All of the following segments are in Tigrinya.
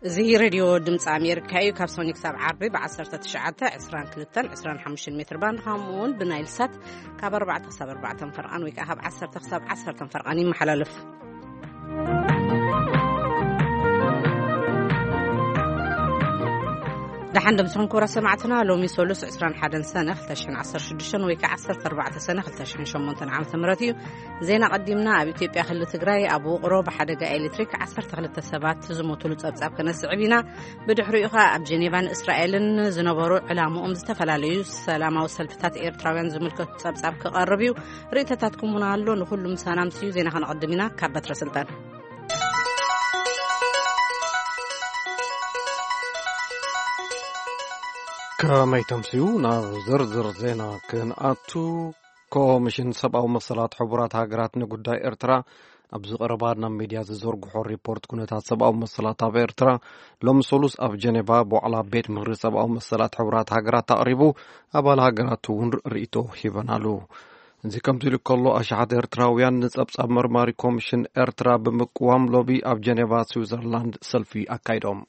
እዚ ሬድዮ ድምፂ ኣሜሪካ እዩ። ካብ ሰኞ ክሳብ ዓርቢ ብ19፣ 22፣ 25 ሜትር ባንድ፣ ከምኡ እውን ብናይል ሳት ካብ ኣርባዕተ ክሳብ ኣርባዕተ ፈርቓን ወይ ከዓ ካብ ዓሰርተ ክሳብ ዓሰርተ ፈርቓን ይመሓላለፍ። ደሓን ደምስኹም ክቡራት ሰማዕትና። ሎሚ ሰሉስ 21 ሰነ 2016 ወይ ከዓ 14 ሰነ 2008 ዓመተ ምህረት እዩ። ዜና ቀዲምና። ኣብ ኢትዮጵያ ክልል ትግራይ ኣብ ውቕሮ ብሓደጋ ኤሌክትሪክ 12 ሰባት ዝሞቱሉ ጸብጻብ ከነስዕብ ኢና። ብድሕሪኡ ኸኣ ኣብ ጀኔቫን እስራኤልን ዝነበሩ ዕላምኦም ዝተፈላለዩ ሰላማዊ ሰልፍታት ኤርትራውያን ዝምልከቱ ጸብጻብ ክቐርብ እዩ። ርእይቶታትኩም እውን ኣሎ። ንኹሉ ምሳና ኣምስዩ ዜና ከነቐድም ኢና። ካብ በትረ ስልጣን። ከመይ ተምስዩ? ናብ ዝርዝር ዜና ክንኣቱ። ኮሚሽን ሰብኣዊ መሰላት ሕቡራት ሃገራት ንጉዳይ ኤርትራ ኣብዚ ቀረባ ናብ ሚድያ ዝዘርግሖ ሪፖርት ኩነታት ሰብኣዊ መሰላት ኣብ ኤርትራ ሎሚ ሰሉስ ኣብ ጀኔቫ ብዋዕላ ቤት ምኽሪ ሰብኣዊ መሰላት ሕቡራት ሃገራት ኣቕሪቡ፣ ኣባል ሃገራት እውን ርእይቶ ሂበናሉ። እዚ ከምዚ ኢሉ ከሎ፣ ኣሽሓት ኤርትራውያን ንጸብጻብ መርማሪ ኮሚሽን ኤርትራ ብምቅዋም ሎቢ ኣብ ጀኔቫ ስዊዘርላንድ ሰልፊ ኣካይዶም።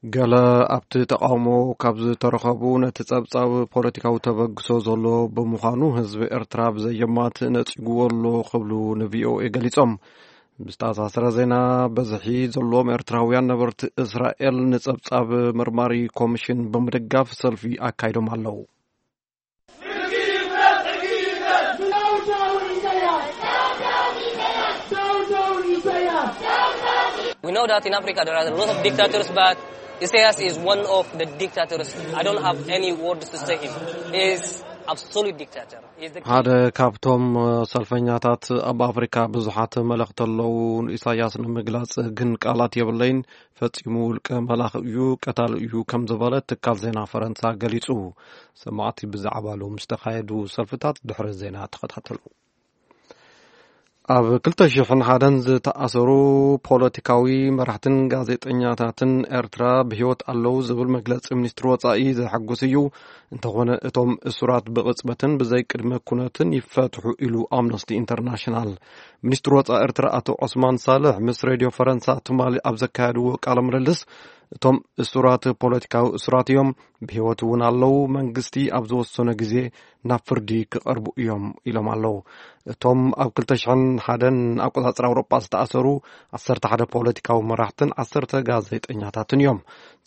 ገለ ኣብቲ ተቃውሞ ካብ ዝተረኸቡ፣ ነቲ ጸብጻብ ፖለቲካዊ ተበግሶ ዘሎ ብምዃኑ ህዝቢ ኤርትራ ብዘየማት ነጺግዎ ኣሎ ክብሉ ንቪኦኤ ገሊጾም። ብዝተኣሳሰረ ዜና፣ በዝሒ ዘለዎም ኤርትራውያን ነበርቲ እስራኤል ንጸብጻብ መርማሪ ኮሚሽን ብምድጋፍ ሰልፊ ኣካይዶም ኣለዉ። We know that in Africa there are a lot of dictators, but Isaias is one of the dictators. I don't have any words to say him. He is absolute dictator. He is the ሓደ ካብቶም ሰልፈኛታት ኣብ ኣፍሪካ ብዙሓት መለኽቲ ኣለዉ። ኢሳያስ ንምግላጽ ግን ቃላት የብለይን። ፈጺሙ ውልቀ መላኺ እዩ፣ ቀታሊ እዩ ከም ዝበለ ትካል ዜና ፈረንሳ ገሊጹ። ሰማዕቲ ብዛዕባ ሎም ዝተኻየዱ ሰልፍታት ድሕሪ ዜና ተኸታተሉ። ኣብ ክልተ ሽሕን ሓደን ዝተኣሰሩ ፖለቲካዊ መራሕትን ጋዜጠኛታትን ኤርትራ ብህይወት ኣለዉ ዝብል መግለጺ ሚኒስትሪ ወጻኢ ዘሐጉስ እዩ። እንተኾነ እቶም እሱራት ብቕጽበትን ብዘይ ቅድመ ኩነትን ይፈትሑ ኢሉ ኣምነስቲ ኢንተርናሽናል። ሚኒስትሪ ወጻኢ ኤርትራ ኣቶ ዑስማን ሳልሕ ምስ ሬድዮ ፈረንሳ ትማሊ ኣብ ዘካየድዎ ቃለ ምልልስ፣ እቶም እሱራት ፖለቲካዊ እሱራት እዮም፣ ብህይወት እውን ኣለዉ፣ መንግስቲ ኣብ ዝወሰኖ ግዜ ናብ ፍርዲ ክቐርቡ እዮም ኢሎም ኣለዉ። እቶም ኣብ ክልተ ሽሕን ሓደን ኣቆጻጽራ ኣውሮጳ ዝተኣሰሩ ዓሰርተ ሓደ ፖለቲካዊ መራሕትን ዓሰርተ ጋዜጠኛታትን እዮም።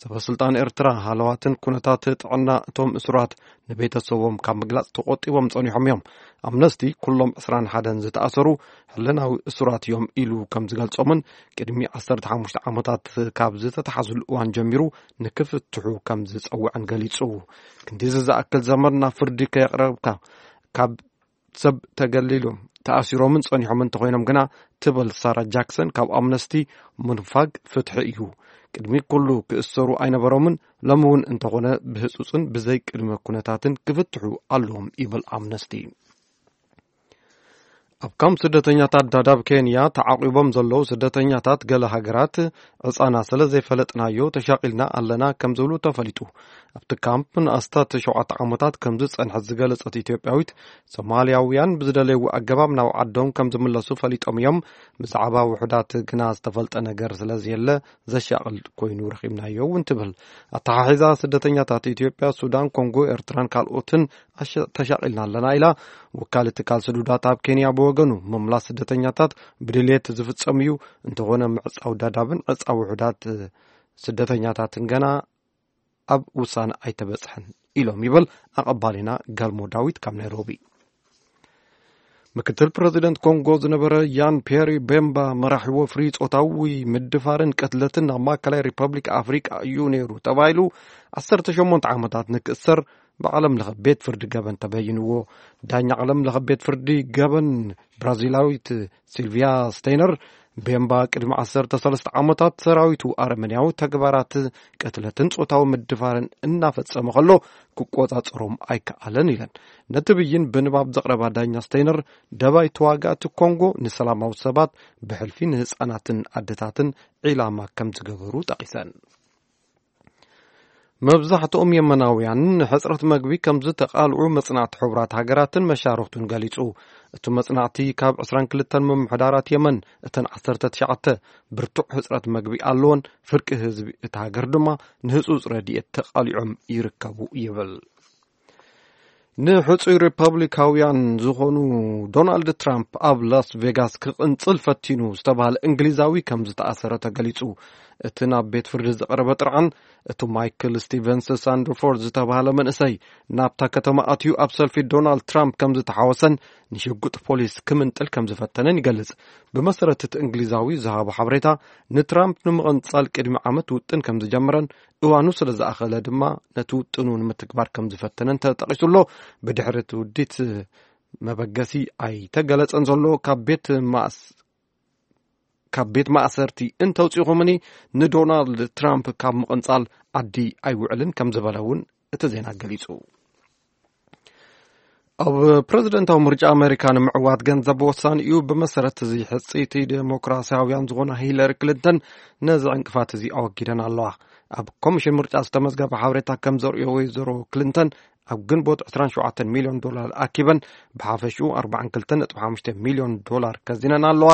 ሰበ ስልጣን ኤርትራ ሃለዋትን ኩነታት ጥዕና እቶም እሱራት ንቤተሰቦም ካብ ምግላጽ ተቆጢቦም ጸኒሖም እዮም። ኣምነስቲ ኩሎም ዕስራን ሓደን ዝተኣሰሩ ሕልናዊ እሱራት እዮም ኢሉ ከም ዝገልጾምን ቅድሚ ዓሰርተ ሓሙሽተ ዓመታት ካብ ዝተተሓዙሉ እዋን ጀሚሩ ንክፍትሑ ከም ዝጸውዐን ገሊጹ። ክንዲዚ ዝኣክል ዘመን ናብ ፍርዲ ከየቕረብካ ካብ ሰብ ተገሊሎም ተኣሲሮምን ጸኒሖምን እንተኾይኖም ግና፣ ትብል ሳራ ጃክሰን ካብ ኣምነስቲ፣ ምንፋግ ፍትሒ እዩ። ቅድሚ ኩሉ ክእሰሩ ኣይነበሮምን፣ ሎሚ እውን እንተኾነ ብህጹጽን ብዘይ ቅድመ ኩነታትን ክፍትሑ ኣለዎም ይብል ኣምነስቲ። ኣብ ካምፕ ስደተኛታት ዳዳብ ኬንያ ተዓቂቦም ዘለዉ ስደተኛታት ገለ ሃገራት ዕጻና ስለ ዘይፈለጥናዮ ተሻቒልና ኣለና ከም ዝብሉ ተፈሊጡ። ኣብቲ ካምፕ ንኣስታት ሸውዓተ ዓመታት ከም ዝጸንሐት ዝገለጸት ኢትዮጵያዊት፣ ሶማልያውያን ብዝደለይዎ ኣገባብ ናብ ዓዶም ከም ዝምለሱ ፈሊጦም እዮም። ብዛዕባ ውሑዳት ግና ዝተፈልጠ ነገር ስለ ዘየለ ዘሻቕል ኮይኑ ረኺብናዮ እውን ትብል። ኣተሓሒዛ ስደተኛታት ኢትዮጵያ፣ ሱዳን፣ ኮንጎ፣ ኤርትራን ካልኦትን ኣሸ-፣ ተሻቒልና ኣለና ኢላ። ወካሊ ትካል ስዱዳት ኣብ ኬንያ ብወገኑ፣ ምምላስ ስደተኛታት ብድልየት ዝፍጸም እዩ፣ እንተኾነ ምዕጻው ዳዳብን ዕጻ ውሑዳት ስደተኛታትን ገና ኣብ ውሳነ ኣይተበጽሐን ኢሎም ይብል ኣቐባሊና ገልሞ ዳዊት ካብ ናይሮቢ። ምክትል ፕረዚደንት ኮንጎ ዝነበረ ያን ፒየሪ ቤምባ መራሒ ወፍሪ ጾታዊ ምድፋርን ቅትለትን ናብ ማእከላይ ሪፐብሊክ ኣፍሪቃ እዩ ነይሩ ተባሂሉ ዓሰርተ ሸሞንተ ዓመታት ንክእሰር ብዓለም ለኸ ቤት ፍርዲ ገበን ተበይንዎ። ዳኛ ዓለም ለኸ ቤት ፍርዲ ገበን ብራዚላዊት ሲልቪያ ስቴይነር፣ ቤምባ ቅድሚ ዓሰርተ ሰለስተ ዓመታት ሰራዊቱ ኣረመኔያዊ ተግባራት ቅትለትን ጾታዊ ምድፋርን እናፈጸመ ከሎ ክቆጻጸሮም ኣይከኣለን ኢለን። ነቲ ብይን ብንባብ ዘቕረባ ዳኛ ስቴይነር፣ ደባይ ተዋጋእቲ ኮንጎ ንሰላማዊ ሰባት ብሕልፊ ንህጻናትን ኣደታትን ዒላማ ከም ዝገበሩ ጠቒሰን። መብዛሕትኦም የመናውያን ንሕጽረት መግቢ ከም ዝተቓልዑ መጽናዕቲ ሕቡራት ሃገራትን መሻርኽቱን ገሊጹ። እቲ መጽናዕቲ ካብ ዕስራን ክልተን ምምሕዳራት የመን እተን ዓሰርተ ትሽዓተ ብርቱዕ ሕጽረት መግቢ ኣለዎን፣ ፍርቂ ህዝቢ እታ ሃገር ድማ ንህጹጽ ረድኤት ተቓሊዖም ይርከቡ ይብል። ንሕጹይ ሪፐብሊካውያን ዝኾኑ ዶናልድ ትራምፕ ኣብ ላስ ቬጋስ ክቕንጽል ፈቲኑ ዝተባህለ እንግሊዛዊ ከም ዝተኣሰረ ተገሊጹ። እቲ ናብ ቤት ፍርዲ ዝቐረበ ጥርዓን፣ እቲ ማይክል ስቲቨንስ ሳንደርፎርድ ዝተባህለ መንእሰይ ናብታ ከተማ ኣትዩ ኣብ ሰልፊ ዶናልድ ትራምፕ ከም ዝተሓወሰን ንሽጉጥ ፖሊስ ክምንጥል ከም ዝፈተነን ይገልጽ። ብመሰረት እቲ እንግሊዛዊ ዝሃቦ ሓበሬታ፣ ንትራምፕ ንምቕንጻል ቅድሚ ዓመት ውጥን ከም ዝጀመረን እዋኑ ስለ ዝኣኸለ ድማ ነቲ ውጥኑ ንምትግባር ከም ዝፈተነን ተጠቒሱ ኣሎ። ብድሕሪ እቲ ውዲት መበገሲ ኣይተገለጸን ዘሎ። ካብ ቤት ማእስ-፣ ካብ ቤት ማእሰርቲ እንተውጺኹምኒ ንዶናልድ ትራምፕ ካብ ምቕንጻል ዓዲ ኣይውዕልን ከም ዝበለ እውን እቲ ዜና ገሊጹ። ኣብ ፕረዚደንታዊ ምርጫ ኣሜሪካ ንምዕዋት ገንዘብ ወሳኒ እዩ። ብመሰረት እዚ ሕጽይቲ ዴሞክራሲያውያን ዝኾና ሂለሪ ክሊንተን ነዚ ዕንቅፋት እዚ ኣወጊደን ኣለዋ። ኣብ ኮሚሽን ምርጫ ዝተመዝገበ ሓበሬታ ከም ዘርእዮ፣ ወይዘሮ ክሊንተን ኣብ ግንቦት ዕስራን ሸውዓተን ሚልዮን ዶላር ኣኪበን ብሓፈሽኡ ኣርባዓን ክልተን ነጥቢ ሓሙሽተ ሚልዮን ዶላር ከዚነን ኣለዋ።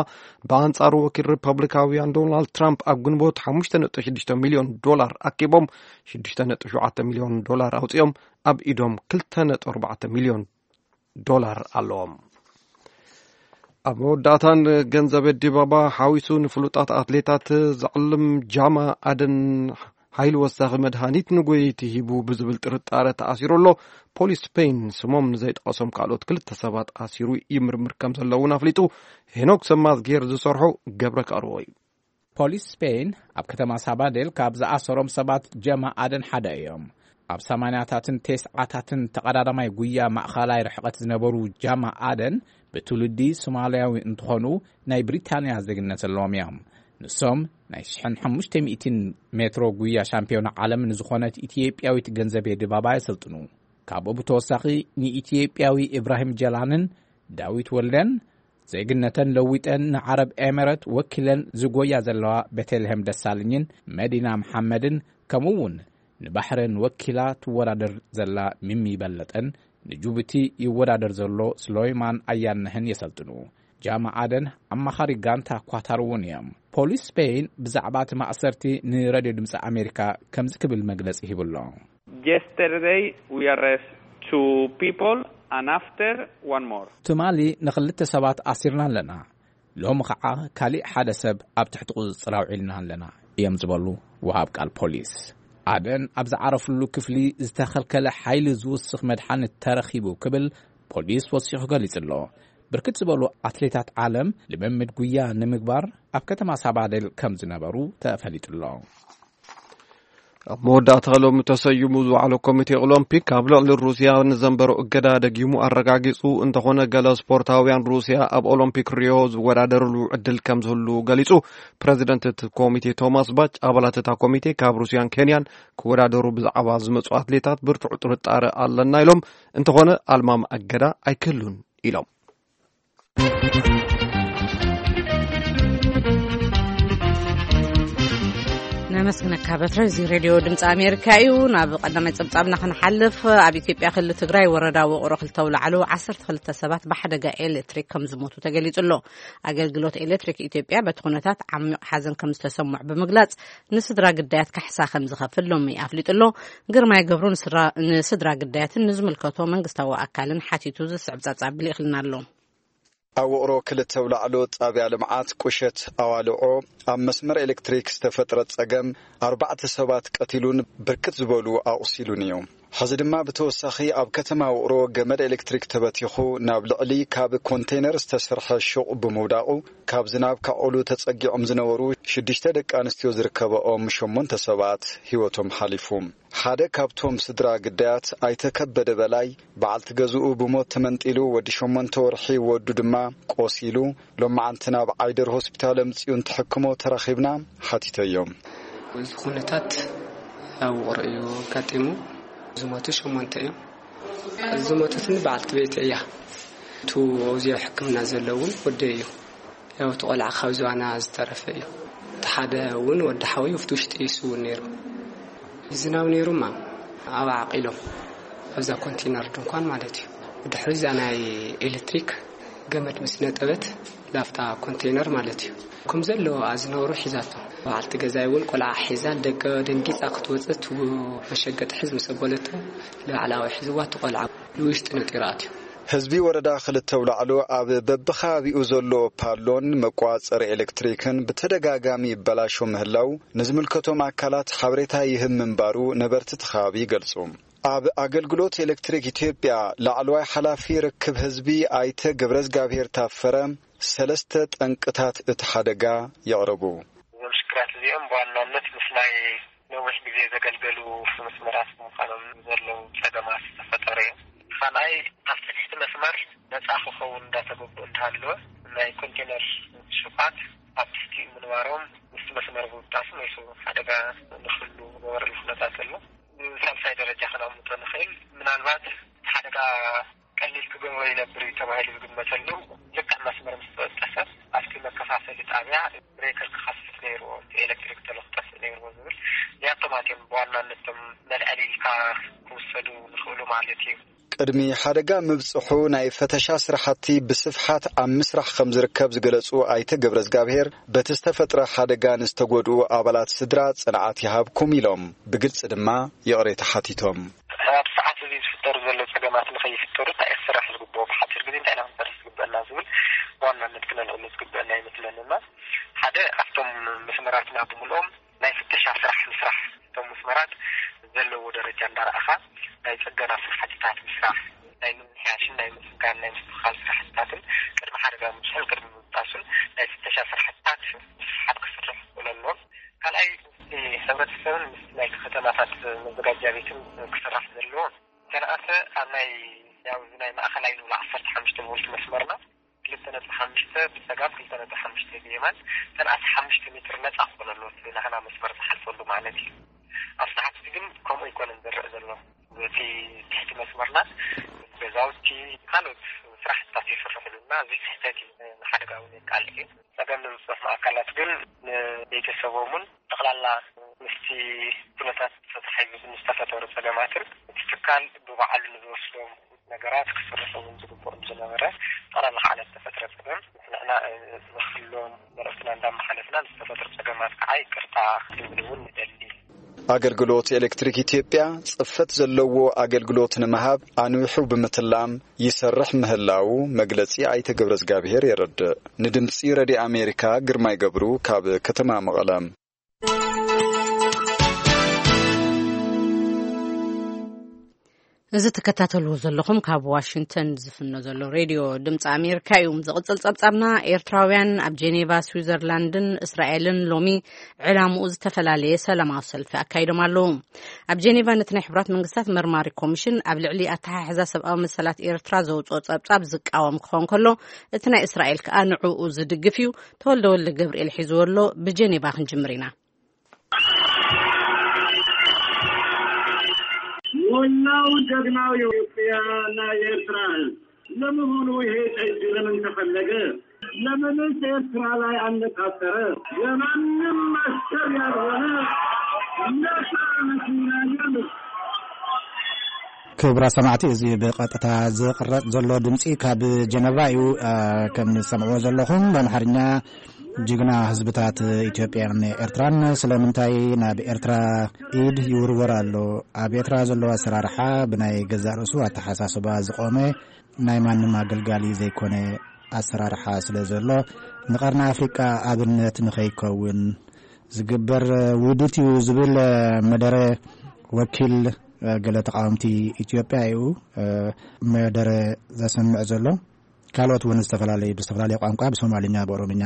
ብኣንጻሩ ወኪል ሪፐብሊካውያን ዶናልድ ትራምፕ ኣብ ግንቦት ሓሙሽተ ነጥቢ ሽዱሽተ ሚልዮን ዶላር ኣኪቦም ሽዱሽተ ነጥቢ ሸውዓተ ሚልዮን ዶላር ኣውጺኦም ኣብ ኢዶም ክልተ ነጥቢ ኣርባዕተ ሚልዮን ዶላር ኣለዎም። ኣብ መወዳእታን ገንዘብ ዲባባ ሓዊሱ ንፍሉጣት ኣትሌታት ዘዕልም ጃማ ኣደን ሓይሊ ወሳኺ መድሃኒት ንጎየይቲ ሂቡ ብዝብል ጥርጣረ ተኣሲሩ ኣሎ። ፖሊስ ስፔን ስሞም ንዘይጠቐሶም ካልኦት ክልተ ሰባት ኣሲሩ ይምርምር ከም ዘሎ እውን ኣፍሊጡ። ሄኖክ ሰማዝጌር ዝሰርሖ ገብረ ከቕርቦ እዩ። ፖሊስ ስፔን ኣብ ከተማ ሳባዴል ካብ ዝኣሰሮም ሰባት ጀማ ኣደን ሓደ እዮም። ኣብ ሰማንያታትን ቴስዓታትን ተቐዳዳማይ ጉያ ማእኸላይ ርሕቐት ዝነበሩ ጃማ ኣደን ብትውልዲ ሶማልያዊ እንትኾኑ፣ ናይ ብሪታንያ ዜግነት ዘለዎም እዮም። ንሶም ናይ ሽሕን ሓሙሽተ ሚእትን ሜትሮ ጉያ ሻምፒዮና ዓለም ንዝኾነት ኢትዮጵያዊት ገንዘቤ ድባባ የሰልጥኑ። ካብኡ ብተወሳኺ ንኢትዮጵያዊ ኢብራሂም ጀላንን ዳዊት ወልደን ዜግነተን ለዊጠን ንዓረብ ኤምረት ወኪለን ዝጎያ ዘለዋ ቤተልሔም ደሳለኝን መዲና መሓመድን፣ ከምኡ እውን ንባሕሬን ወኪላ ትወዳደር ዘላ ሚሚ በለጠን ንጅቡቲ ይወዳደር ዘሎ ስሎይማን ኣያነህን የሰልጥኑ። ጃማ ኣደን ኣማኻሪ ጋንታ ኳታር እውን እዮም። ፖሊስ ስፔን ብዛዕባ እቲ ማእሰርቲ ንሬድዮ ድምፂ ኣሜሪካ ከምዚ ክብል መግለፂ ሂቡ ኣሎ። Yesterday we arrest two people and after one more. ትማሊ ንኽልተ ሰባት ኣሲርና ኣለና። ሎሚ ኸዓ ካሊእ ሓደ ሰብ ኣብ ትሕቲ ቁፅፅር ኣውዒልና ኣለና እዮም ዝበሉ ወሃብ ቃል ፖሊስ። ኣደን ኣብ ዝዓረፍሉ ክፍሊ ዝተኸልከለ ሓይሊ ዝውስኽ መድሓኒት ተረኺቡ ክብል ፖሊስ ወሲኹ ገሊጹ ኣሎ። ብርክት ዝበሉ ኣትሌታት ዓለም ልምምድ ጉያ ንምግባር ኣብ ከተማ ሳባዴል ከም ዝነበሩ ተፈሊጡ ኣሎ። ኣብ መወዳእታ ሎሚ ተሰይሙ ዝወዓለ ኮሚቴ ኦሎምፒክ ኣብ ልዕሊ ሩስያ ንዘንበሮ እገዳ ደጊሙ ኣረጋጊጹ። እንተኾነ፣ ገለ ስፖርታውያን ሩስያ ኣብ ኦሎምፒክ ሪዮ ዝወዳደርሉ ዕድል ከም ዝህሉ ገሊጹ። ፕረዚደንት እቲ ኮሚቴ ቶማስ ባች፣ ኣባላት እታ ኮሚቴ ካብ ሩስያን ኬንያን ክወዳደሩ ብዛዕባ ዝመጹ ኣትሌታት ብርቱዕ ጥርጣረ ኣለና ኢሎም። እንተኾነ፣ ኣልማም እገዳ ኣይክህሉን ኢሎም። ነመስግነካ በትረ። እዚ ሬድዮ ድምፂ ኣሜሪካ እዩ። ናብ ቀዳማይ ፀብፃብና ክንሓልፍ፣ ኣብ ኢትዮጵያ ክልል ትግራይ ወረዳ ውቕሮ ክልተ ኣውላዕሎ ዓሰርተ ክልተ ሰባት ብሓደጋ ኤሌክትሪክ ከም ዝሞቱ ተገሊጹ ኣሎ። ኣገልግሎት ኤሌክትሪክ ኢትዮጵያ በቲ ኩነታት ዓሚቕ ሓዘን ከም ዝተሰምዖ ብምግላጽ፣ ንስድራ ግዳያት ካሕሳ ከም ዝኸፍል ሎሚ ኣፍሊጡ ኣሎ። ግርማይ ገብሩ ንስራ-፣ ንስድራ ግዳያትን ንዝምልከቶ መንግስታዊ ኣካልን ሓቲቱ ዝስዕብ ጸብጻብ ልኢኽልና ኣሎ። ኣብ ውቕሮ ክልተ ኣውላዕሎ ጣብያ ልምዓት ቁሸት ኣዋልዖ ኣብ መስመር ኤሌክትሪክ ዝተፈጥረ ጸገም ኣርባዕተ ሰባት ቀቲሉን ብርክት ዝበሉ ኣቑሲሉን እዩ። ሕዚ ድማ ብተወሳኺ ኣብ ከተማ ውቕሮ ገመድ ኤሌክትሪክ ተበቲኹ ናብ ልዕሊ ካብ ኮንቴነር ዝተሰርሐ ሹቕ ብምውዳቑ ካብ ዝናብ ካዕቑሉ ተጸጊዖም ዝነበሩ ሽዱሽተ ደቂ ኣንስትዮ ዝርከበኦም ሸሞንተ ሰባት ህይወቶም ሓሊፉ። ሓደ ካብቶም ስድራ ግዳያት ኣይተ ከበደ በላይ፣ በዓልቲ ገዝኡ ብሞት ተመንጢሉ፣ ወዲ ሸሞንተ ወርሒ ወዱ ድማ ቆሲሉ፣ ሎማዓንቲ ናብ ዓይደር ሆስፒታል ኣምጺኡ እንትሕክሞ ተራኺብና ሓቲተዮም። እዚ ኩነታት ኣብ ውቕሮ እዩ ኣጋጢሙ። ዝሞቱ ሸሞንተ እዮም። ዝሞተትኒ በዓልቲ ቤት እያ። እቱ ኣብዚኦ ሕክምና ዘሎ እውን ወደይ እዩ። ያው እቲ ቆልዓ ካብ ዝባና ዝተረፈ እዩ። እቲ ሓደ እውን ወዲ ሓወይ ኣብቲ ውሽጢ እዩ ስውን ነይሩ። ዝናብ ነይሩማ ኣብ ዓቂሎም ኣብዛ ኮንቴነር ድንኳን ማለት እዩ። ብድሕሪ እዛ ናይ ኤሌክትሪክ ገመድ ምስ ነጠበት ላፍታ ኮንቴነር ማለት እዩ። ከም ዘለዋ ዝነበሩ ሒዛቶ። በዓልቲ ገዛይ እውን ቆልዓ ሒዛ ደገ ደንጊፃ ክትወፅእ እቲ መሸገጢ ሕዝ ምስ ኣበለቶ ንላዕላዊ ሒዝዋ እቲ ቆልዓ ንውሽጢ ነጢሩ ኣትዩ። ህዝቢ ወረዳ ክልተ ኣውላዕሎ ኣብ በብኸባቢኡ ዘሎ ፓሎን መቋጸሪ ኤሌክትሪክን ብተደጋጋሚ ይበላሾ ምህላው ንዝምልከቶም ኣካላት ሓበሬታ ይህብ ምንባሩ ነበርቲ እቲ ከባቢ ይገልጹ። ኣብ ኣገልግሎት ኤሌክትሪክ ኢትዮጵያ ላዕለዋይ ሓላፊ ርክብ ህዝቢ ኣይተ ገብረዝጋብሄር ታፈረ ሰለስተ ጠንቅታት እቲ ሓደጋ የቕርቡ። እዞም ሽግራት እዚኦም ብዋናነት ምስ ናይ ነዊሕ ግዜ ዘገልገሉ መስመራት ብምዃኖም ዘለዉ ጸገማት ዝተፈጠረ እዮም። ካልኣይ፣ ኣብ ትሕቲ መስመር ነጻ ክኸውን እንዳተገብኦ እንተሃለወ፣ ናይ ኮንቴነር ሹቓት ኣብ ትሕቲ ምንባሮም ምስቲ መስመር ብምጣሱ ናይ ሰብ ሓደጋ ንክህሉ ዝገበረሉ ኩነታት ኣሎ። ብሳልሳይ ደረጃ ከነቕምጦ ንኽእል፣ ምናልባት እቲ ሓደጋ ቀሊል ክገብሮ ይነብር እዩ ተባሂሉ ዝግመተሉ ልክዕ መስመር ምስ ተበጠሰ ኣብቲ መከፋፈሊ ጣብያ ብሬከር ክኸፍት ነይርዎ፣ እቲ ኤሌክትሪክ ተሎ ክጠፍእ ነይርዎ ዝብል እዚኣቶም ኣትዮም ብዋናነት እቶም መልዐሊ ኢልካ ክውሰዱ ዝኽእሉ ማለት እዩ። ቅድሚ ሓደጋ ምብጽሑ ናይ ፈተሻ ስራሕቲ ብስፍሓት ኣብ ምስራሕ ከም ዝርከብ ዝገለጹ ኣይተ ገብረዝጋብሄር፣ በቲ ዝተፈጥረ ሓደጋ ንዝተጎድኡ ኣባላት ስድራ ጽንዓት ይሃብኩም ኢሎም ብግልጺ ድማ ይቕሬታ ሓቲቶም። ኣብ ሰዓት እዚ ዝፍጠሩ ዘለዉ ጸገማት ንኸይፍጠሩ እንታይ እዩ ክስራሕ ዝግብኦ፣ ብሓጺር ግዜ እንታይ ኢና ክንሰርሕ ዝግበአና ዝብል ብዋናነት ክነልዕሎ ዝግበአና ይመስለንና። ሓደ ኣብቶም መስመራትና ብምልኦም ናይ ፍተሻ ስራሕ ምስራሕ፣ እቶም መስመራት ዘለዎ ደረጃ እንዳረኣኻ ናይ ጽገና ስራሕትታት ምስራሕ፣ ናይ ምምሕያሽን ናይ ምጽጋን ናይ ምስትኽኻል ስራሕትታትን ቅድሚ ሓደጋ ምብፅሑን ቅድሚ ምብጣሱን ናይ ፍተሻ ስራሕትታት ምስሓብ ክስራሕ ክኽእሎ ኣለዎም። ካልኣይ ምስቲ ሕብረተሰብን ምስ ናይ ከተማታት መዘጋጃ ቤትን ክስራሕ ዘለዎ። ተነኣሰ ኣብ ናይ ያው ናይ ማእኸላይ ንብሎ ዓሰርተ ሓሙሽተ ቮልት መስመርና ክልተ ነጥቢ ሓሙሽተ ብፀጋም ክልተ ነጥቢ ሓሙሽተ ብየማን ተነኣሰ ሓሙሽተ ሜትር ነፃ ክኾን ኣለዎ እቲ ናህና መስመር ዝሓልፈሉ ማለት እዩ። ኣብ ሰዓት እዚ ግን ከምኡ ኣይኮነን ዝረአ ዘሎ። እቲ ትሕቲ መስመርና ገዛውቲ ካልኦት ስራሕትታት ይስርሕሉ እና እዚ ስሕተት እዩ፣ ንሓደጋ እውን የቃልዕ እዩ። ጸገም ንዝበፅሖም ኣካላት ግን ንቤተሰቦምን ጠቕላላ ምስቲ ኩነታት ተተሓሒዙ ንዝተፈጠሩ ጸገማትን እቲ ትካል ብባዕሉ ንዝወስዶም ነገራት ክስርሑ እውን ዝግብኦም ዝነበረ ጠቕላላ ከዓ ዝተፈጥረ ጸገም ንሕና ንኽሎም መልእኽትና እንዳመሓለፍና ንዝተፈጥሩ ጸገማት ከዓ ይቅርታ ክንብል እውን ንደሊ። ኣገልግሎት ኤሌክትሪክ ኢትዮጵያ ጽፈት ዘለዎ ኣገልግሎት ንምሃብ ኣንዊሑ ብምትላም ይሰርሕ ምህላዉ መግለጺ ኣይተ ገብረዝጋብሄር የረድእ። ንድምጺ ረድዮ ኣሜሪካ ግርማይ ገብሩ ካብ ከተማ መቐለ። እዚ ትከታተልዎ ዘለኹም ካብ ዋሽንግተን ዝፍኖ ዘሎ ሬድዮ ድምፂ ኣሜሪካ እዩ። ዝቕጽል ጸብጻብና፣ ኤርትራውያን ኣብ ጄኔቫ ስዊዘርላንድን እስራኤልን ሎሚ ዕላምኡ ዝተፈላለየ ሰላማዊ ሰልፊ ኣካይዶም ኣለዉ። ኣብ ጄኔቫ ነቲ ናይ ሕቡራት መንግስታት መርማሪ ኮሚሽን ኣብ ልዕሊ ኣተሓሕዛ ሰብኣዊ መሰላት ኤርትራ ዘውፅኦ ጸብጻብ ዝቃወም ክኸውን ከሎ፣ እቲ ናይ እስራኤል ከኣ ንዕኡ ዝድግፍ እዩ። ተወልደ ወልደ ገብርኤል ሒዝዎ ኣሎ። ብጄኔቫ ክንጅምር ኢና። ሞላው ጀግናው የኢትዮጵያና የኤርትራ ህዝብ ለመሆኑ ይሄ ጠጅ ለምን ተፈለገ? ለምንስ ኤርትራ ላይ አነጣጠረ? የማንም አሰብ ያልሆነ ነፃ ምስናየም። ክቡራት ሰማዕቲ፣ እዚ ብቐጥታ ዝቕረጽ ዘሎ ድምጺ ካብ ጀነቫ እዩ። ከም ዝሰምዕዎ ዘለኹም፣ ብኣምሓርኛ፣ ጅግና ህዝብታት ኢትዮጵያን ኤርትራን ስለምንታይ ናብ ኤርትራ ኢድ ይውርወር ኣሎ? ኣብ ኤርትራ ዘሎ ኣሰራርሓ ብናይ ገዛእ ርእሱ ኣተሓሳስባ ዝቖመ፣ ናይ ማንም ኣገልጋሊ ዘይኮነ ኣሰራርሓ ስለ ዘሎ፣ ንቐርኒ ኣፍሪቃ ኣብነት ንኸይከውን ዝግበር ውዲት እዩ ዝብል መደረ ወኪል ገለ ተቓወምቲ ኢትዮጵያ እዩ መደረ ዘስምዕ ዘሎ። ካልኦት እውን ዝተፈላለዩ፣ ብዝተፈላለየ ቋንቋ፣ ብሶማልኛ፣ ብኦሮምኛ፣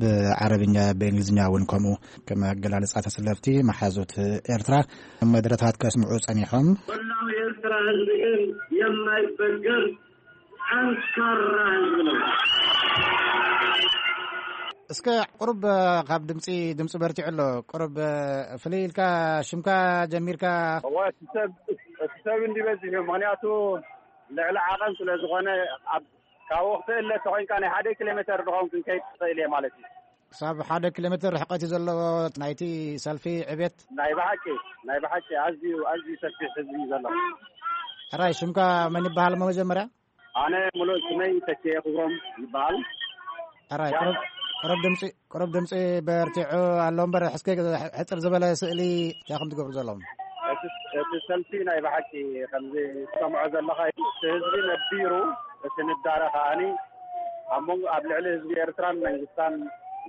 ብዓረብኛ፣ ብእንግሊዝኛ እውን ከምኡ፣ ከም ኣገላልጻ ተሰለፍቲ መሓዙት ኤርትራ፣ መደረታት ከስምዑ ጸኒሖም። መላው የኤርትራ ህዝብ ግን የማይበገር ጠንካራ ህዝብ ነው። እስከ ቁሩብ ካብ ድምጺ፣ ድምጺ በርቲዑ ኣሎ። ቁሩብ ፍልይ ኢልካ ሽምካ ጀሚርካ። እወ፣ እቲ ሰብ፣ እቲ ሰብ እንዲ በዚሕ እዩ። ምኽንያቱ ልዕሊ ዓቐን ስለ ዝኾነ፣ ኣብ፣ ካብ ወቕቲ እለ ተኾይንካ ናይ ሓደ ኪሎ ሜተር ድኾን ክንከይድ ትኽእል እየ ማለት እዩ። ክሳብ ሓደ ኪሎ ሜትር ርሕቀት እዩ ዘለዎ ናይቲ ሰልፊ ዕቤት። ናይ ብሓቂ፣ ናይ ብሓቂ ኣዝዩ፣ ኣዝዩ ሰፊሕ ህዝቢ እዩ ዘሎ። ሕራይ፣ ሽምካ መን ይበሃል? መጀመርያ ኣነ ሙሉእ ስመይ ተኪኤ ክብሮም ይበሃል። ሕራይ፣ ቁሩብ፣ ቁሩብ ድምፂ፣ ቁሩብ ድምፂ በርቲዑ ኣሎ እምበር፣ እስከ ሕፅር ዝበለ ስእሊ እንታይ ከም ትገብሩ ዘለኹም? እቲ፣ እቲ ሰልፊ ናይ ብሓቂ ከምዚ ትሰምዖ ዘለኻ እዩ። እቲ ህዝቢ ነቢሩ፣ እቲ ንዳረ ከኣኒ ኣብ መንጎ፣ ኣብ ልዕሊ ህዝቢ ኤርትራን መንግስታን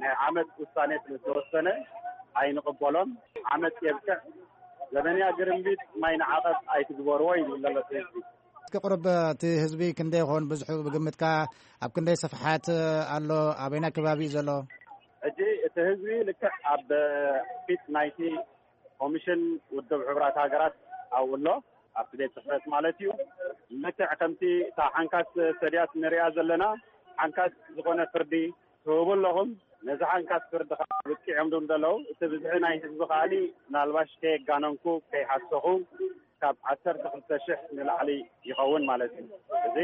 ናይ ዓመፅ ውሳኔ ስለ ዝተወሰነ ኣይንቕበሎን። ዓመፅ የብቅዕ፣ ዘበንያ ግርምቢጥ ማይ ንዓቐብ ኣይትግበርዎ ይብል ዘሎ እቲ ህዝቢ። እስኪ ቁሩብ እቲ ህዝቢ ክንደይ ይኾን ብዝሑ ብግምትካ? ኣብ ክንደይ ስፍሓት ኣሎ? ኣበይና ከባቢ እዩ ዘሎ? ሕጂ እቲ ህዝቢ ልክዕ ኣብ ፊት ናይቲ ኮሚሽን ውድብ ሕቡራት ሃገራት ኣብኡ ኣሎ፣ ኣብቲ ቤት ጽሕፈት ማለት እዩ። ልክዕ ከምቲ እታ ሓንካስ ሰድያት ንሪኣ ዘለና፣ ሓንካስ ዝኾነ ፍርዲ ትህቡ ኣለኹም። ነዚ ሓንካስ ፍርዲ ከዓ ኣብቂዖም ዶ ዘለዉ? እቲ ብዝሒ ናይ ህዝቢ ከኣኒ ምናልባሽ ከየጋነንኩ፣ ከይሓሰኹ፣ ካብ ዓሰርተ ክልተ ሽሕ ንላዕሊ ይኸውን ማለት እዩ። እዚ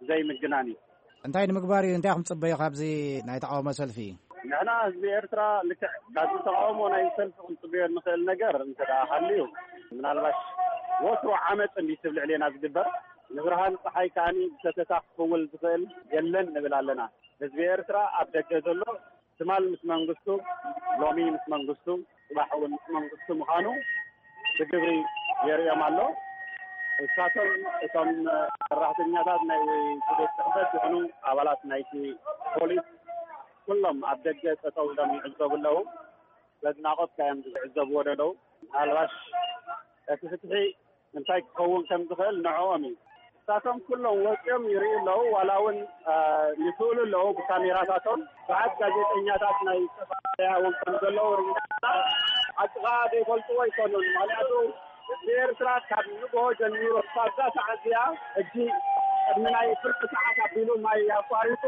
ዘይምግናን እዩ። እንታይ ንምግባር እዩ? እንታይ ኢኹም ትጽበዩ ካብዚ ናይ ተቃውሞ ሰልፊ? ንሕና ህዝቢ ኤርትራ ልክዕ ካብዚ ተቃውሞ ናይ ሰልፊ ክንጽበዮ እንኽእል ነገር እንተ ደኣ ሃልዩ፣ ምናልባሽ ወትሩ ዓመጽ እንዲ ትብል ልዕሌና ዝግበር፣ ንብርሃን ጸሓይ ከኣኒ ብሰተታ ክኽውል ዝኽእል የለን ንብል ኣለና። ህዝቢ ኤርትራ ኣብ ደገ ዘሎ ትማል ምስ መንግስቱ፣ ሎሚ ምስ መንግስቱ፣ ጽባሕ እውን ምስ መንግስቱ ምዃኑ ብግብሪ የርእዮም ኣሎ። ንሳቶም እቶም ሰራሕተኛታት ናይ ቤት ጽሕፈት ይኹኑ ኣባላት ናይቲ ፖሊስ ኩሎም ኣብ ደገ ጠጠው ኢሎም ይዕዘቡ ኣለዉ። በድናቖት ካዮም ዝዕዘብዎ ዘለዉ። ምናልባሽ እቲ ፍትሒ እንታይ ክኸውን ከም ዝኽእል ንዕኦም እዩ። ንሳቶም ኩሎም ወፂኦም ይርእዩ ኣለዉ። ዋላ እውን፣ አ፣ ይስእሉ ኣለዉ ብካሜራታቶም። ብዙሓት ጋዜጠኛታት ናይ ዝተፈላለያ እውን ከም ዘለዉ ርኢና። ሓቂ ከዓ ዘይፈልጥዎ ኣይኮኑን። ምኽንያቱ ህዝቢ ኤርትራ ካብ ንግሆ ጀሚሩ ክሳብ እዛ ሰዓት እዚኣ፣ ሕጂ ቅድሚ ናይ ፍርቂ ሰዓት ኣቢሉ ማይ ኣቋሪጹ፣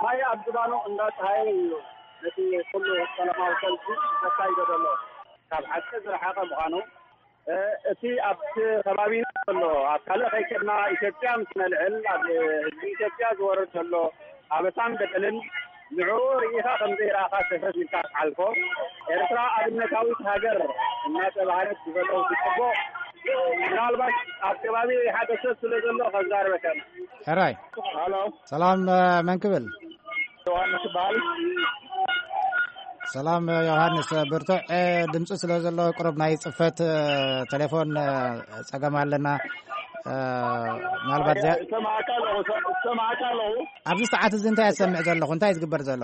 ማይ ኣብ ዝባኑ እንዳፀሃየ እዩ ነቲ ኩሉ ሰላማዊ ሰልፊ ዘካይዶ ዘሎ። ካብ ሓቂ ዝረሓቐ ምዃኑ፣ እ፣ እቲ ኣብቲ ከባቢና ዘሎ፣ ኣብ ካልእ ከይከድና ኢትዮጵያ ምስ ነልዕል፣ ኣብ ህዝቢ ኢትዮጵያ ዝወርድ ዘሎ ኣበሳን በደልን ንዕኡ ርኢኻ ከም ዘይረኣኻ ሰፈፍ ኢልካ ትሓልፎ። ኤርትራ ኣብነታዊት ሃገር እናተባህለት ብዘለዉ ትጽቦ፣ ምናልባት ኣብ ከባቢ ሓደ ሰብ ስለ ዘሎ ከዛርበካ። ሕራይ። ሃሎ። ሰላም፣ እ፣ መን ክብል? ዮሃንስ ይበሃል። ሰላም ዮሃንስ፣ ብርቱዕ ድምፂ ስለ ዘሎ ቁሩብ ናይ ፅፈት ቴሌፎን ፀገም ኣለና። ምናልባት እዚኣ እሰማዕካ ኣለኹ፣ እሰማዕካ ኣለኹ። ኣብዚ ሰዓት እዚ እንታይ እሰምዕ ዘለኹ? እንታይ ዝግበር ዘሎ?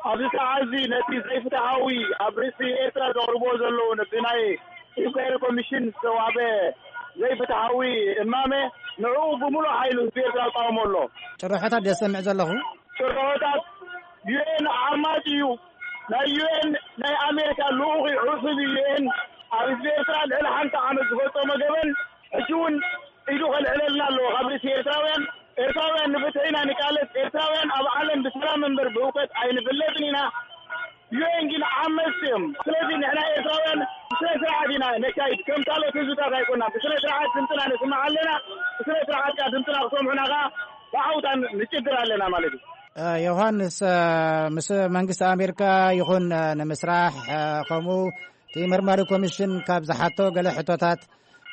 ኣብዚ ሰዓት እዚ ነቲ ዘይፍትሓዊ ኣብ ርእሲ ኤርትራ ዘቕርብዎ ዘለዉ ነቲ ናይ ኢንኳይሪ ኮሚሽን ዝተዋህበ ዘይፍትሓዊ እማመ ንዕኡ ብምሉእ ሓይሉ ህዝቢ ኤርትራ ይቃወሞ ኣሎ። ጭርሖታት ዘሰምዕ ዘለኹ። ጭርሖታት ዩ ኤን ዓማጺ እዩ። ናይ ዩ ኤን ናይ ኣሜሪካ ልኡኽ እዩ፣ ዕሱብ እዩ። ዩ ኤን ኣብ ህዝቢ ኤርትራ ልዕሊ ሓንቲ ዓመት ዝፈጸሞ ገበን ሕጂ እውን ኢዱ ከልዕለልና ኣለዎ። ካብ ርእሲ ኤርትራውያን፣ ኤርትራውያን ንፍትሒ ኢና ንቃለስ። ኤርትራውያን ኣብ ዓለም ብሰላም እምበር ብህውከት ኣይንፍለጥን ኢና። ዩ ኤን ግን ዓመጽቲ እዮም። ስለዚ ንሕና ኤርትራውያን ብስነ ስርዓት ኢና ነካይድ። ከም ካልኦት ህዝብታት ኣይኮና። ብስነ ስርዓት ድምፅና ነስምዕ ኣለና። ብስነ ስርዓት ከዓ ድምፅና ክሰምዑና ከዓ ብዓውታ ንጭግር ኣለና ማለት እዩ። እ፣ ዮሃንስ፣ እ፣ ምስ መንግስቲ ኣሜሪካ ይኹን፣ እ፣ ንምስራሕ፣ እ፣ ከምኡ እቲ መርማሪ ኮሚሽን ካብ ዝሓቶ ገለ ሕቶታት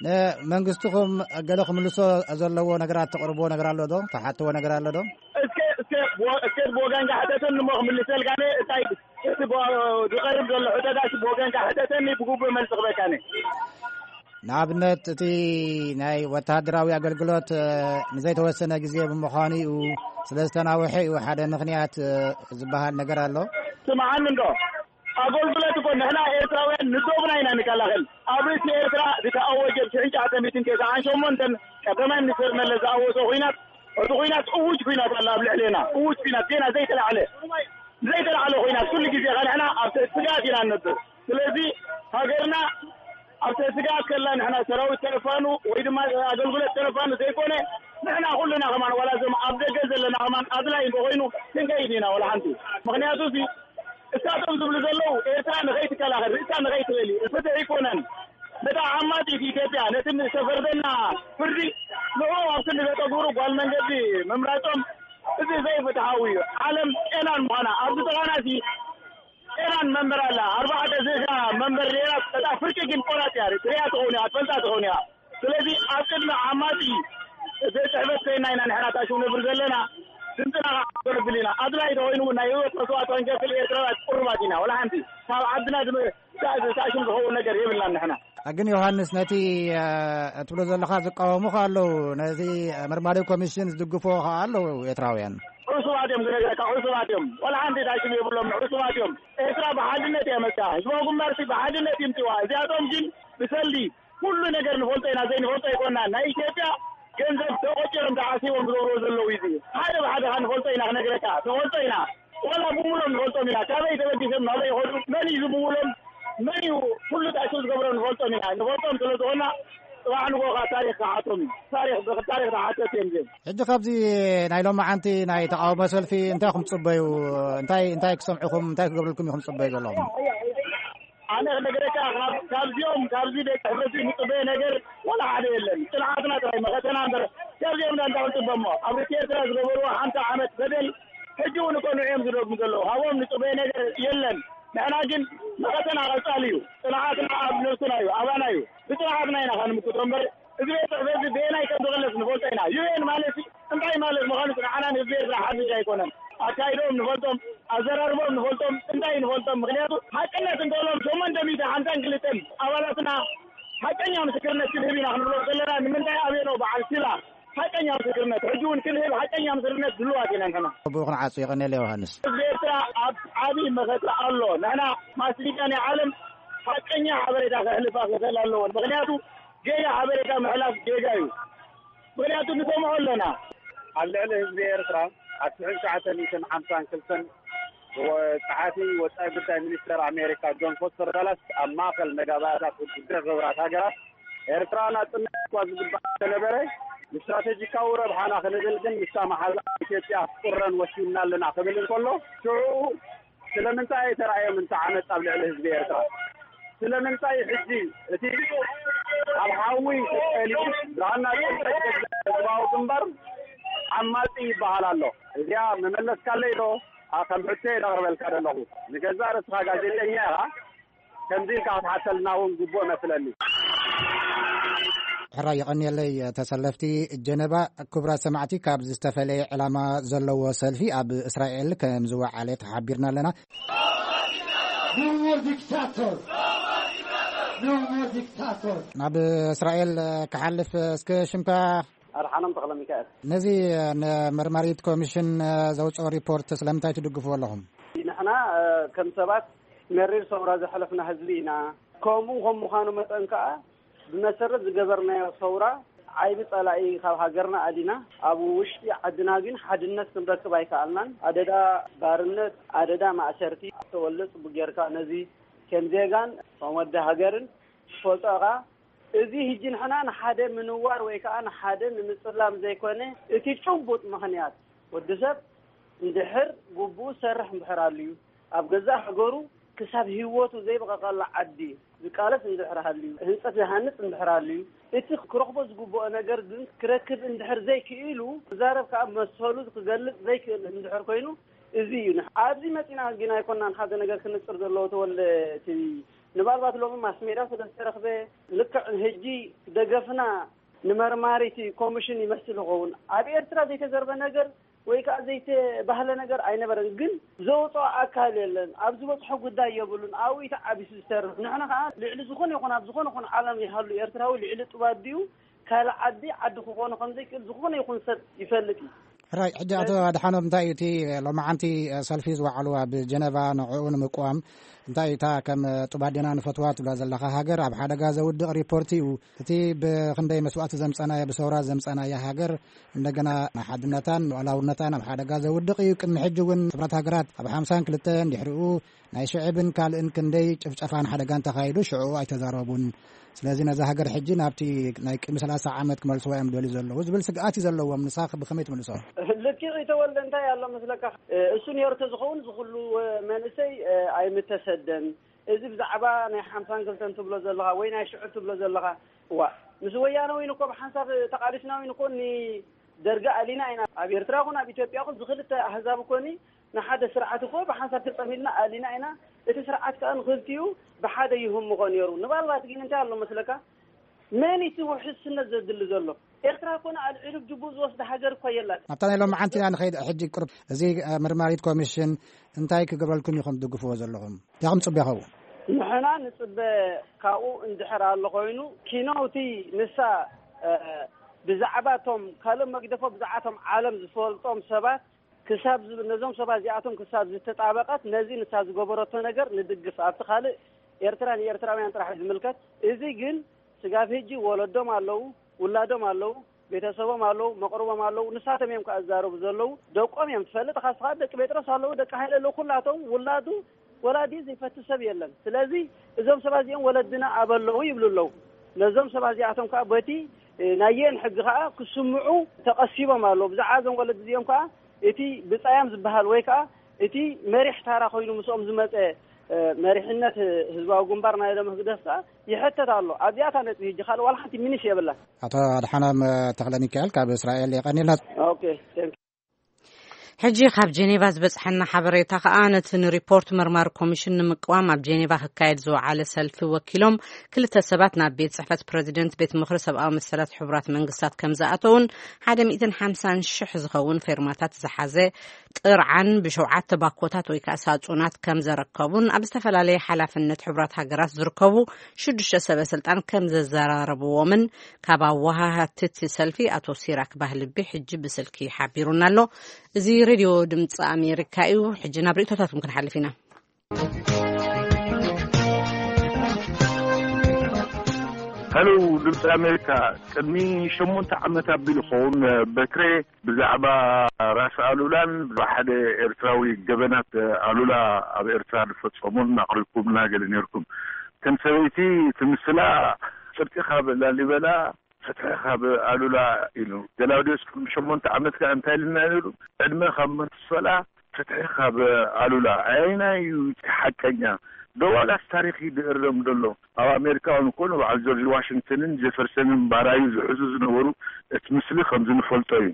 ንመንግስትኹም ገለ ክምልሶ ዘለዎ ነገራት ተቕርብዎ ነገር ኣሎ ዶ? ተሓትዎ ነገር ኣሎ ዶ? እስከ፣ እስከ፣ ብወ-፣ እስከ ብወገንካ ሕተተኒ እሞ ክምልሰልካ እየ። እንታይ እቲ ብ-፣ ዝቐርብ ዘሎ ሕቶታት ብወገንካ ሕተተኒ፣ ብግቡእ መልሲ ክበካ እየ። ንኣብነት እቲ ናይ ወተሃደራዊ ኣገልግሎት፣ እ፣ ንዘይተወሰነ ግዜ ብምዃኑ እዩ፣ ስለ ዝተናውሐ እዩ ሓደ ምኽንያት፣ እ፣ ዝበሃል ነገር ኣሎ። ስምዓኒ እንዶ፣ ኣገልግሎት እኮ ንሕና ኤርትራውያን ንዶብና ኢና ንከላኸል። ኣብ ርእሲ ኤርትራ ዝተኣወጀ ብ ሽሕን ትሽዓተ ሚእትን ተስዓን ሸሞንተን ቀዳማይ ሚኒስትር መለስ ዝኣወጆ ኲናት፣ እቲ ኲናት እዉጅ ኲናት ኣሎ ኣብ ልዕሌና። እዉጅ ኲናት ዜና ዘይተላዕለ፣ ዘይተላዕለ ኲናት ኩሉ ግዜ ከኣ ንሕና ኣብ ትሕቲ ስግኣት ኢና ንነብር። ስለዚ ሃገርና ኣብ ትሕቲ ስግኣት ከላ ንሕና ሰራዊት ተረፋኑ ወይ ድማ ኣገልግሎት ተረፋኑ ዘይኮነ ንሕና ኩልና ከማን ዋላ እዞም ኣብ ደገ ዘለና ከማን ኣድላይ እንተኾይኑ ክንከይድ ኢና ዋላ ሓንቲ። ምኽንያቱ እዚ እሳቶም ዝብሉ ዘለዉ ኤርትራ ንኸይትከላኸል፣ ርእሳ ንኸይትኽእል እዩ። ፍትሒ ኣይኮነን። ነታ ዓማጺት ኢትዮጵያ፣ ነቲ ዝተፈርደና ፍርዲ፣ ንዕኡ ኣብ ክንዲ ዘጠጉሩ ጓል መንገዲ ምምራጾም፣ እዚ ዘይፍትሃዊ እዩ። ዓለም ጤናን ምዃና ኣብዚ ጥቓና ሲ ጤናን መንበር ኣላ። ኣርባዕተ ስሳ መንበር ሌላ በጣም ፍርቂ ግን ቆራጥ እያ። ትሪያ ትኸውን እያ፣ ትፈልጣ ትኸውን እያ። ስለዚ ኣብ ቅድሚ ዓማጺ ቤት ጽሕፈት ኮይና ኢና ንሕና ታሽሙ ነብር ዘለና። ድምፅና ከዓ ክነብል ኢና። ኣድላይ ተኮይኑ እውን ናይ ህይወት መስዋእቲ ክንከፍል ኤርትራውያን ቅሩባት ኢና። ወላ ሓንቲ ካብ ዓድና ዝመ-፣ ታ-፣ ታሽሙ ዝኸውን ነገር የብልናን ንሕና። ግን ዮሃንስ፣ ነቲ ትብሎ ዘለኻ ዝቃወሙ ከ ኣለዉ፣ ነዚ መርማሪ ኮሚሽን ዝድግፎ ከ ኣለዉ ኤርትራውያን። ዕሱባት እዮም፣ ዝነገረካ ዕሱባት እዮም። ወላ ሓንቲ ታሽሙ የብሎም፣ ዕሱባት እዮም። ኤርትራ ብሓድነት እያ መፅያ። ህዝባዊ ግንባርሲ ብሓድነት ይምፅዋ። እዚኣቶም ግን ብሰልዲ ኩሉ ነገር ንፈልጦ ኢና፣ ዘይንፈልጦ ኣይኮና። ናይ ኢትዮጵያ ገንዘብ ተቆፂሮም ተዓሲቦም ዝገብርዎ ዘለዉ እዩ። ሓደ ብሓደ ካ ንፈልጦ ኢና፣ ክነግረካ ንፈልጦ ኢና። ዋላ ብምሎም ንፈልጦም ኢና። ካበይ ተበጊሶም ናበይ ይኸዱ፣ መን እዩ ዝምውሎም፣ መን እዩ ኩሉ ታሽሙ ዝገብሮም ንፈልጦም ኢና። ንፈልጦም ስለ ዝኾና ፅባሕ ንጎኻ ታሪክ ክሓቶም እዩ። ታሪክ ብታሪክ ተሓተት እዮም ዜም። ሕጂ ካብዚ ናይ ሎማዓንቲ ናይ ተቃውሞ ሰልፊ እንታይ ኢኹም ትጽበዩ? እንታይ እንታይ ክሰምዕኹም፣ እንታይ ክገብርልኩም ኢኹም ትጽበዩ ዘለኹም? ኣነ ክነግረካ፣ ካብ ካብዚኦም ካብዚ ቤት ጽሕፈት ምጽበየ ነገር ወላ ሓደ የለን። ጽንዓትና ጥራይ መኸተና እምበር ካብዚኦም ዳ እንታይ ክንጽበ እሞ? ኣብ ርእሲ ኤርትራ ዝገበርዎ ሓምሳ ዓመት በደል ሕጂ እውን እኮ ንዕኦም ዝደግሙ ዘለዉ። ካብኦም ንጽበየ ነገር የለን። ንሕና ግን መኸተና ቀጻሊ እዩ። ጽንዓትና ኣብ ነብስና እዩ፣ ኣባና እዩ። ብጽንዓትና ኢና ከንምክቶ እምበር እዚ ቤት ጽሕፈት እዚ በየናይ ከም ዝቕለስ ንፈልጦ ኢና። ዩ ኤን ማለት እንታይ ማለት ምዃኑ ንዓና ንህዝቢ ኤርትራ ሓድሽ ኣይኮነን። ኣካይዶም ንፈልጦም፣ ኣዘራርቦም ንፈልጦም፣ እንታይ ንፈልጦም። ምኽንያቱ ሓቅነት እንተሎም ሸሞንተ ሚእቲ ሓምሳን ክልተን ኣባላትና ሓቀኛ ምስክርነት ክንህብ ኢና ክንብሎ ዘለና። ንምንታይ ኣበይ ኣሎ በዓል ሲላ ሓቀኛ ምስክርነት? ሕጂ እውን ክንህብ ሓቀኛ ምስክርነት ድልዋት ኢና ንሕና። ብኡ ክንዓጹ። የቐንየለ ዮሃንስ። ህዝቢ ኤርትራ ኣብ ዓቢ መኸተ ኣሎ። ንሕና ማስ ሚድያ ናይ ዓለም ሓቀኛ ሓበሬታ ከሕልፋ ክኽእል ኣለዎ። ምኽንያቱ ጌጋ ሓበሬታ ምሕላፍ ጌጋ እዩ። ምኽንያቱ ንሰምዖ ኣለና። ኣብ ልዕሊ ህዝቢ ኤርትራ ኣብ ሽሕን ትሽዓተ ሚእትን ሓምሳን ክልተን ወ-፣ ጸሓፊ ወጻኢ ጉዳይ ሚኒስተር ኣሜሪካ ጆን ፎስተር ዳላስ ኣብ ማእከል መጋባእያታት ውድብ ሕቡራት ሃገራት ኤርትራ ናጽነት እኳ ዝግባእ እንተነበረ፣ ንስትራተጂካዊ ረብሓና ክንብል ግን ምስታ መሓዛ ኢትዮጵያ ክትቁረን ወሲንና ኣለና ክብል እንከሎ፣ ሽዑ ስለምንታይ ኣይተራእዮም እንተ ዓመጽ ኣብ ልዕሊ ህዝቢ ኤርትራ? ስለምንታይ ሕጂ እቲ ኣብ ሓዊ ተጠሊዑ ዝሃና ህዝባዊ ግንባር ዓማጺ ይበሃል ኣሎ? እዚኣ መመለስካለይ ዶ? ኣ፣ ከም ሕቶ እየ ዘቕርበልካ ዘለኹ። ንገዛእ ርእስኻ ጋዜጠኛ ኢኻ፣ ከምዚ ኢልካ ክትሓተልና እውን ግቡእ መስለኒ። ሕራይ የቐንየለይ። ተሰለፍቲ ጀነባ፣ ክቡራት ሰማዕቲ፣ ካብ ዝተፈለየ ዕላማ ዘለዎ ሰልፊ ኣብ እስራኤል ከም ዝወዓለ ተሓቢርና ኣለና። No more dictator! No more dictator! ናብ እስራኤል ክሓልፍ እስከ ሽምካ ኣድሓኖም ተኽለ ሚካኤል። ነዚ ንመርማሪት ኮሚሽን ዘውፅኦ ሪፖርት ስለምንታይ ትድግፍዎ ኣለኹም? ንሕና፣ እ፣ ከም ሰባት መሪር ሰውራ ዘሕለፍና ህዝቢ ኢና። ከምኡ ከም ምዃኑ መጠን ከኣ ብመሰረት ዝገበርናዮ ሰውራ ዓይቢ ጸላኢ ካብ ሃገርና ኣዲና፣ ኣብ ውሽጢ ዓድና ግን ሓድነት ክንረክብ ኣይከኣልናን። ኣደዳ ባርነት፣ ኣደዳ ማእሰርቲ። ተወልደ ጽቡቅ ጌርካ ነዚ ከም ዜጋን ከም ወዲ ሃገርን ትፈልጦ ኢኻ። እዚ ሕጂ ንሕና ንሓደ ምንዋር ወይ ከኣ ንሓደ ንምጽላም ዘይኮነ፣ እቲ ጭቡጥ ምኽንያት ወዲ ሰብ እንድሕር ግቡኡ ዝሰርሕ እንድሕር ኣልዩ፣ ኣብ ገዛእ ሃገሩ ክሳብ ህይወቱ ዘይበቐቐላ ዓዲ ዝቃለስ እንድሕር ሃልዩ፣ ህንጸት ዝሃንጽ እንድሕር ኣልዩ፣ እቲ ክረኽቦ ዝግብኦ ነገር ግን ክረክብ እንድሕር ዘይክኢሉ፣ ክዛረብ ከኣ መሰሉ ክገልጽ ዘይክእል እንድሕር ኮይኑ፣ እዚ እዩ። ንሕ-፣ ኣብዚ መጺና ግን ኣይኮናን ሓደ ነገር ክንጽር ዘለዎ፣ ተወልደ፣ እቲ ምናልባት ሎሚ ማስ ሜድያ ስለ ዝተረኽበ፣ ልክዕ ሕጂ ደገፍና ንመርማሪቲ ኮሚሽን ይመስል ይኸውን። ኣብ ኤርትራ ዘይተዘርበ ነገር ወይ ከኣ ዘይተባህለ ነገር ኣይነበረን። ግን ዘውጽኦ ኣካል የለን። ኣብ ዝበጽሖ ጉዳይ የብሉን። ኣብኡ እዩ ተዓቢሱ ዝሰርሕ። ንሕና ከኣ ልዕሊ ዝኾነ ይኹን ኣብ ዝኾነ ይኹን ዓለም ይሃሉ ኤርትራዊ ልዕሊ ጥባት ድዩ ካልእ ዓዲ ዓዲ ክኾኖ ከም ዘይክእል ዝኾነ ይኹን ሰብ ይፈልጥ እዩ። ሕራይ፣ ሕጂ ኣቶ ኣድሓኖም፣ እንታይ እዩ እቲ ሎማዓንቲ ሰልፊ ዝወዓሉ ኣብ ጀነቫ ንዕኡ ንምቅዋም? እንታይ እታ ከም ጡብ ኣዴና ንፈትዋ ትብላ ዘለኻ ሃገር ኣብ ሓደጋ ዘውድቕ ሪፖርት እዩ? እቲ ብኽንደይ መስዋእቲ ዘምጸናዮ፣ ብሰውራ ዘምጸናዮ ሃገር እንደገና ንሓድነታን ሉዓላውነታን ኣብ ሓደጋ ዘውድቕ እዩ። ቅድሚ ሕጂ እውን ሕቡራት ሃገራት ኣብ ሓምሳን ክልተን ድሕሪኡ ናይ ሽዕብን ካልእን ክንደይ ጭፍጨፋን ሓደጋን ተኻይዱ፣ ሽዑ ኣይተዛረቡን። ስለዚ ነዛ ሃገር ሕጂ ናብቲ ናይ ቅድሚ ሰላሳ ዓመት ክመልስዋ እዮም ዝደልዩ ዘለዉ ዝብል ስግኣት እዩ ዘለዎም። ንስኻ ብኸመይ ትምልሶ? ልክዕ እዩ ተወልደ፣ እንታይ ኣሎ መስለካ? እሱ ነይሩ ተዝኸውን እዚ ኩሉ መንእሰይ ኣይምተሰደን። እዚ ብዛዕባ ናይ ሓምሳን ክልተን ትብሎ ዘለኻ ወይ ናይ ሽዑ ትብሎ ዘለኻ፣ እዋ፣ ምስ ወያነ እውን እኮ ብሓንሳብ ተቓሊስና እውን እኮ ኒ-፣ ደርጊ ኣሊና ኢና። ኣብ ኤርትራ ኹን ኣብ ኢትዮጵያ ኹን ዝኽልተ ኣህዛብ ኮኒ ንሓደ ስርዓት እኮ ብሓንሳብ ተጸሚድና ኣሊና ኢና። እቲ ስርዓት ከኣ ንኽልቲኡ ብሓደ ይህምቖ ነይሩ። ንባልባት ግን እንታይ ኣሎ መስለካ? መን እቲ ውሕስነት ዘድሊ ዘሎ? ኤርትራ ኮነ ኣልዒሉ ጅቡ ዝወስድ ሃገር እኳ የላትን። ኣብታ ናይ ሎምዓንቲ ኢና ንኸይድ። ሕጂ ቁርብ እዚ መርማሪት ኮሚሽን እንታይ ክገብረልኩም ኢኹም ትድግፍዎ ዘለኹም? ያኹም ጽበ ይኸውን? ንሕና ንጽበ ካብኡ እንድሕር ኣሎ ኮይኑ፣ ኪኖ እቲ ንሳ ብዛዕባ እቶም ካልእ መግደፎ ብዛዕባ እቶም ዓለም ዝፈልጦም ሰባት ክሳብ ነዞም ሰባት እዚኣቶም ክሳብ ዝተጣበቀት ነዚ ንሳ ዝገበረቶ ነገር ንድግፍ። ኣብቲ ካልእ ኤርትራ ንኤርትራውያን ጥራሕ ዝምልከት። እዚ ግን ስጋብ ሕጂ ወለዶም ኣለዉ፣ ውላዶም ኣለዉ፣ ቤተሰቦም ኣለዉ፣ መቕርቦም ኣለዉ። ንሳቶም እዮም ከኣ ዝዛረቡ ዘለዉ። ደቆም እዮም ትፈልጥ። ካስኻ ደቂ ጴጥሮስ ኣለዉ፣ ደቂ ሃይለ ኣለዉ። ኩላቶም ውላዱ ወላዲ ዘይፈቲ ሰብ የለን። ስለዚ እዞም ሰባት እዚኦም ወለድና ኣበለዉ ይብሉ ኣለዉ። ነዞም ሰባት እዚኣቶም ከዓ በቲ ናየን ሕጊ ከዓ ክስምዑ ተቐሲቦም ኣለዉ። ብዛዕባ እዞም ወለዲ እዚኦም ከዓ እቲ ብጻያም ዝበሃል ወይ ከዓ እቲ መሪሕ ታራ ኮይኑ ምስኦም ዝመጸ መሪሕነት ህዝባዊ ግንባር ናይ ሎም ህግደፍ ከዓ ይሕተት ኣሎ። ኣብዚኣታ ነጥቢ ሕጂ ካልእ ዋላ ሓንቲ ሚኒሽ የብላን። ኣቶ ኣድሓኖም ተኽለ ሚካኤል ካብ እስራኤል የቐኒልና። ኦኬ። ሕጂ ካብ ጀኔቫ ዝበጽሐና ሓበሬታ ከኣ ነቲ ንሪፖርት መርማሪ ኮሚሽን ንምቅዋም ኣብ ጀኔቫ ክካየድ ዝወዓለ ሰልፊ ወኪሎም ክልተ ሰባት ናብ ቤት ጽሕፈት ፕረዚደንት ቤት ምኽሪ ሰብኣዊ መሰላት ሕቡራት መንግስታት ከም ዝኣተውን ሓደ ሚእትን ሓምሳን ሽሕ ዝኸውን ፌርማታት ዝሓዘ ጥርዓን ብሸውዓተ ባኮታት ወይ ከዓ ሳጹናት ከም ዘረከቡን ኣብ ዝተፈላለየ ሓላፍነት ሕቡራት ሃገራት ዝርከቡ ሽዱሽተ ሰበ ስልጣን ከም ዘዘራረብዎምን ካብ ኣወሃሃቲ እቲ ሰልፊ ኣቶ ሲራክ ባህልቢ ሕጂ ብስልኪ ሓቢሩና ኣሎ። እዚ ሬድዮ ድምፂ ኣሜሪካ እዩ። ሕጂ ናብ ርእቶታትኩም ክንሓልፍ ኢና። ሄሎ ድምፂ ኣሜሪካ፣ ቅድሚ ሸሞንተ ዓመት ኣቢሉ ኸውን በክሬ ብዛዕባ ራስ ኣሉላን ብሓደ ኤርትራዊ ገበናት ኣሉላ ኣብ ኤርትራ ዝፈጸሙን ኣቕሪብኩምና ገለ ነርኩም። ከም ሰበይቲ እቲ ምስላ ጽድቂ ካብ ላሊበላ ፍትሒ ካብ ኣሉላ ኢሉ። ገላውዲዮስ ቅድሚ ሸሞንተ ዓመት ከኣ እንታይ ኢልና ነይሩ? ዕድመ ካብ መንቱሶላ ፍትሒ ካብ ኣሉላ። ኣየናይ እዩ እቲ ሓቀኛ? ዶ ዋላስ ታሪኽ እዩ ዝእረም ዘሎ? ኣብ ኣሜሪካ እውን እኮ ንበዓል ጆርጅ ዋሽንግተንን ጀፈርሰንን ባራዩ ዝሕዙ ዝነበሩ እቲ ምስሊ ከምዚ ንፈልጦ እዩ።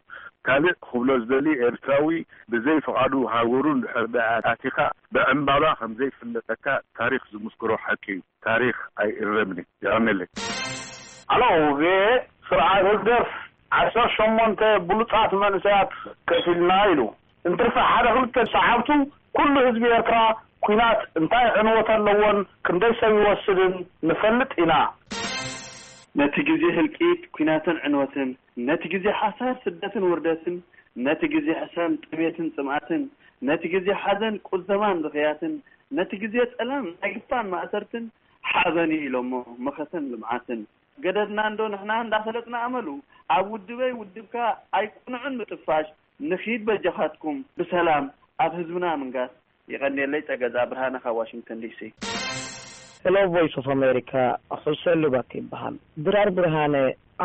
ካልእ ክብሎ ዝደሊ ኤርትራዊ ብዘይ ፍቓዱ ሃገሩ እንድሕር ደኣ ኣቲኻ ብዕምባባ ከምዘይፍለጠካ ታሪኽ ዝምስክሮ ሓቂ እዩ። ታሪኽ ኣይእረምን እዩ። የቐንየለይ። ኣሎ ቪኦኤ ስርዓት ህግደፍ ዓሰርተ ሸሞንተ ብሉጻት መንእሰያት ከፊልና ኢሉ እንትርፊ ሓደ ክልተ ሰዓብቱ ኩሉ ህዝቢ ኤርትራ ኲናት እንታይ ዕንወት ኣለዎን ክንደይ ሰብ ይወስድን ንፈልጥ ኢና። ነቲ ግዜ ህልቂት ኲናትን ዕንወትን፣ ነቲ ግዜ ሓሳር ስደትን ውርደትን፣ ነቲ ግዜ ሕሰም ጥሜትን ጽምኣትን፣ ነቲ ግዜ ሓዘን ቁዘማን ብኽያትን፣ ነቲ ግዜ ጸላም ናይ ግፋን ማእሰርትን ሓበን እዩ ኢሎሞ መኸተን ልምዓትን። ገደድና እንዶ ንሕና እንዳፈለጥና ኣመሉ ኣብ ውድበይ ውድብካ ኣይቁንዕን ምጥፋሽ ንኺድ በጃኻትኩም ብሰላም ኣብ ህዝብና ምንጋስ። የቐንየለይ ጸገዛ ብርሃነ ካብ ዋሽንግተን ዲሲ። Hello Voice of America. ሕሰሉ ባክ ይበሃል። ድራር ብርሃነ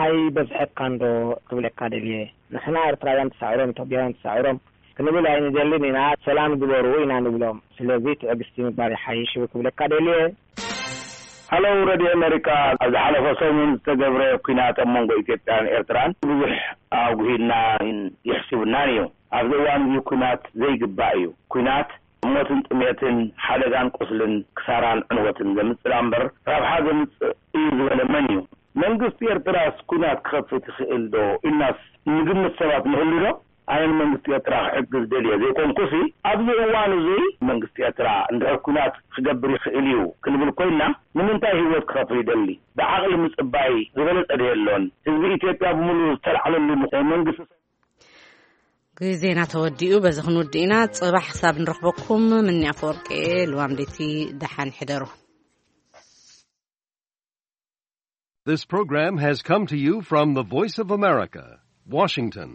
ኣይ በዝሐካ እንዶ ክብለካ ደልየ። ንሕና ኤርትራውያን ተሳዒሮም ኢትዮጵያውያን ተሳዒሮም ክንብል ኣይንደልን ኢና። ሰላም ግበሩ ኢና ንብሎም። ስለዚ ትዕግስቲ ምግባር ይሓይሽ ክብለካ ደልየ። ሃሎ ረድዮ ኣሜሪካ፣ ኣብ ዝሓለፈ ሰሙን ዝተገብረ ኲናት ኣብ መንጎ ኢትዮጵያን ኤርትራን ብዙሕ ኣጉሂድና ይሕስብናን እዩ። ኣብዚ እዋን እዚ ኲናት ዘይግባእ እዩ። ኲናት ሞትን ጥሜትን ሓደጋን ቁስልን ክሳራን ዕንወትን ዘምፅእ እምበር ረብሓ ዘምፅእ እዩ ዝበለ መን እዩ? መንግስቲ ኤርትራስ ኲናት ክኸፍት ይኽእል ዶ ኢልናስ ንግምት ሰባት ንህሉ ዶ? ኣነ ንመንግስቲ ኤርትራ ክሕግዝ ደልየ ዘይኮንኩሲ፣ ኣብዚ እዋን እዚ መንግስቲ ኤርትራ እንድሕር ኲናት ክገብር ይኽእል እዩ ክንብል ኮይንና፣ ንምንታይ ህይወት ክኸፍል ይደሊ? ብዓቕሊ ምጽባይ ዝበለጸ ዶ የሎን? ህዝቢ ኢትዮጵያ ብምሉኡ ዝተላዕለሉ መንግስቲ ግዜና ተወዲኡ በዚ ክንውድእ ኢና። ጽባሕ ክሳብ ንረኽበኩም ምኒ ኣፈወርቂ ልዋም ለይቲ ደሓን ሕደሩ። This program has come to you from the Voice of America, Washington.